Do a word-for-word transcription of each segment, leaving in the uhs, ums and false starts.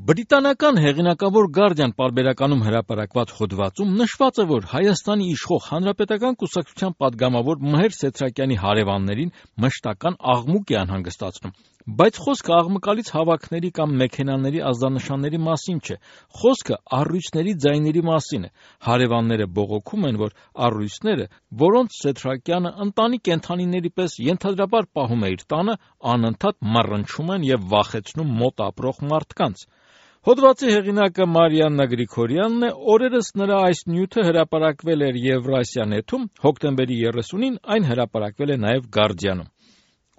Բրիտանական հեղինակավոր Guardian պարբերականում հրապարակված հոդվածում նշված է, որ Հայաստանի իշխող Հանրապետական կուսակցության պատգամավոր Մհեր Սեթրակյանի հարևաններին մշտական աղմուկ է անհանգստացնում, բայց խոսքը աղմկալից հավաքների կամ մեքենաների ազդանշանների մասին չէ, խոսքը առյուծների ձայների մասին է։ Հարևանները բողոքում են, որ առյուծները, որոնց Սեթրակյանը ընտանի կենդանիների պես ենթադրաբար պահում է իր տանը, անընդհատ մռնչում են և վախեցնում մոտ ապրող մարդկանց։ Հոդվածի հեղինակը Մարիաննա Գրիգորյանն է, օրերս նրա այս նյութը հրապարակվել էր Եվրասիա.net-ում, հոկտեմբերի երեսունին այն հրապարակվել է նաև Guardian-ում։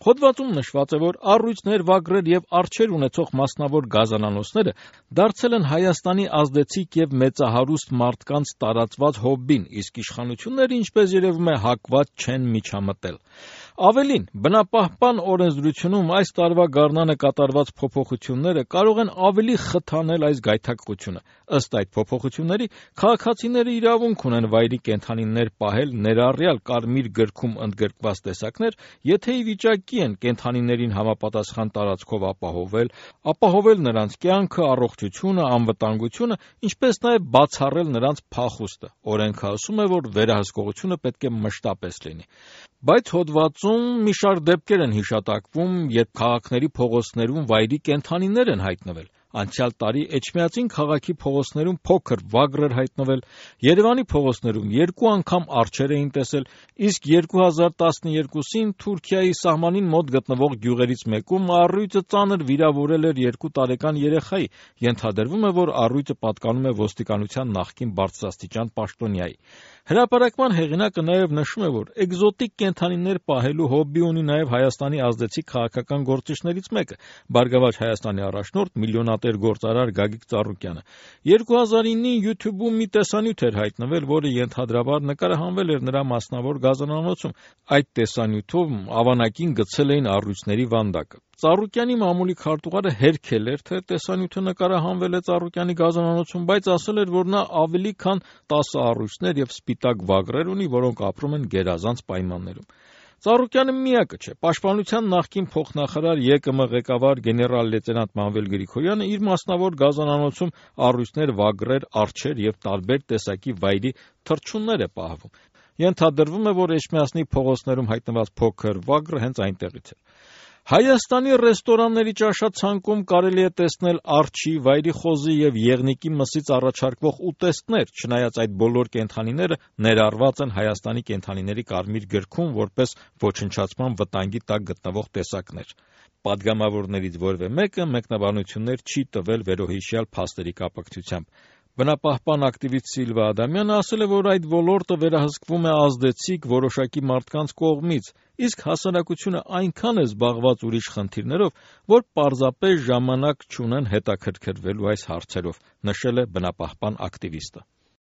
Հոդվածում նշված է, որ առյուծներ, վագրեր և արջեր ունեցող մասնավոր գազանանոցները դարձել են Հայաստանի ազդեցիկ և մեծահարուստ մարդկանց տարածված հոբբին, իսկ իշխանությունները, ինչպես երևում է, հակված չեն միջամտել։ Ավելին, բնապահպան օրենսդրությունում այս տարվա գարնանը կատարված փոփոխությունները կարող են ավելի խթանել այս գայթակղությունը։ Ըստ այդ փոփոխությունների, քաղաքացիները իրավունք ունեն վայրի կենդանիներ պահել, ներառյալ Կարմիր գրքում ընդգրկված տեսակներ, եթե ի վիճակի են կենդանիներին համապատասխան տարածքով ապահովել, ապահովել նրանց կյանքը, առողջությունը, անվտանգությունը, ինչպես նաև բացառել նրանց փախուստը։ Օրենքը ասում է, որ վերահսկողությունը պետք է մշտապես լինի։ Բայց հոդվածում մի շարք դեպքեր են հիշատակվում, երբ քաղաքների փողոցներում վայրի կենդանիներ են հայտնվել։ Անցյալ տարի Էջմիածին քաղաքի փողոցներում փոքր վագր էր հայտնվել, Երևանի փողոցներում երկու անգամ արջեր էին տեսել, իսկ երկու հազար տասնյոթին Թուրքիայի սահմանին մոտ գտնվող գյուղերից մեկում առյուծը ծանր վիրավորել էր երկու տարեկան երեխայի։ Ենթադրվում է, որ առյուծը պատկանում է ոստիկանության նախկին բարձրաստիճան պաշտոնյայի։ Հրապարակման հեղինակը նաև նշում է, որ էկզոտիկ կենդանիներ պահելու հոբբի ունի նաև Հայաստանի ազդեցիկ քաղաքական գործիչներից մեկը՝ Բարգավաճ Հայաստանի առաջնորդ միլիոնատեր գործարար Գագիկ Ծառուկյանը։ երկու հազար իննին YouTube-ում մի տեսանյութ էր հայտնվել, որը ենթադրաբար նկարահանվել էր նրա մասնավոր գազանանոցում։ Այդ տեսանյութում ավանակին գցել էին առյուծների վանդակը։ Ծառուկյանի մամուլի քարտուղարը հերքել էր, թե տեսանյութը նկարահանվել է Ծառուկյանի գազանանոցում, բայց ասել էր, որ նա ավելի քան տասը առյուծներ և սպիտակ վագրեր ունի, որոնք ապրում են գերազանց պայմաններում։ Ծառուկյանը միակը չէ։ Պաշտպանության նախկին փոխնախարար ԵԿՄ ղեկավար գեներալ-լեյտենանտ Մանվել Գրիգորյանը իր մասնավոր գազանանոցում առյուծներ, վագրեր, արջեր և տարբեր տեսակի վայրի թռչուններ է պահվում։ Ենթադրվում է, որ Էջմիածնի փողոցներում հայտնված փոքր վագրը հենց այնտեղից էր։ Հայաստանի ռեստորանների ճաշացանկում կարելի է տեսնել արջի, վայրի խոզի և եղնիկի մսից առաջարկվող ուտեստներ, չնայած այդ բոլոր կենդանիները ներառված են Հայաստանի կենդանիների կարմիր գրքում որպես ոչնչացման վտանգի տակ գտնվող տեսակներ։ Պատգամավորներից որևէ մեկը մեկնաբանություններ չի տվել վերոհիշյալ փաստերի կապակցությամբ։ Բնապահպան ակտիվիստ Սիլվա Ադամյանը ասել է, որ այդ ոլորտը վերահսկվում է ազդեցիկ որոշակի մարդկանց կողմից, իսկ հասարակությունը այնքան է զբաղված ուրիշ խնդիրներով, որ պարզապես ժամանակ չունեն հետաքրքրվելու այս հարցերով, նշել է բնապահպան ակտիվիստը։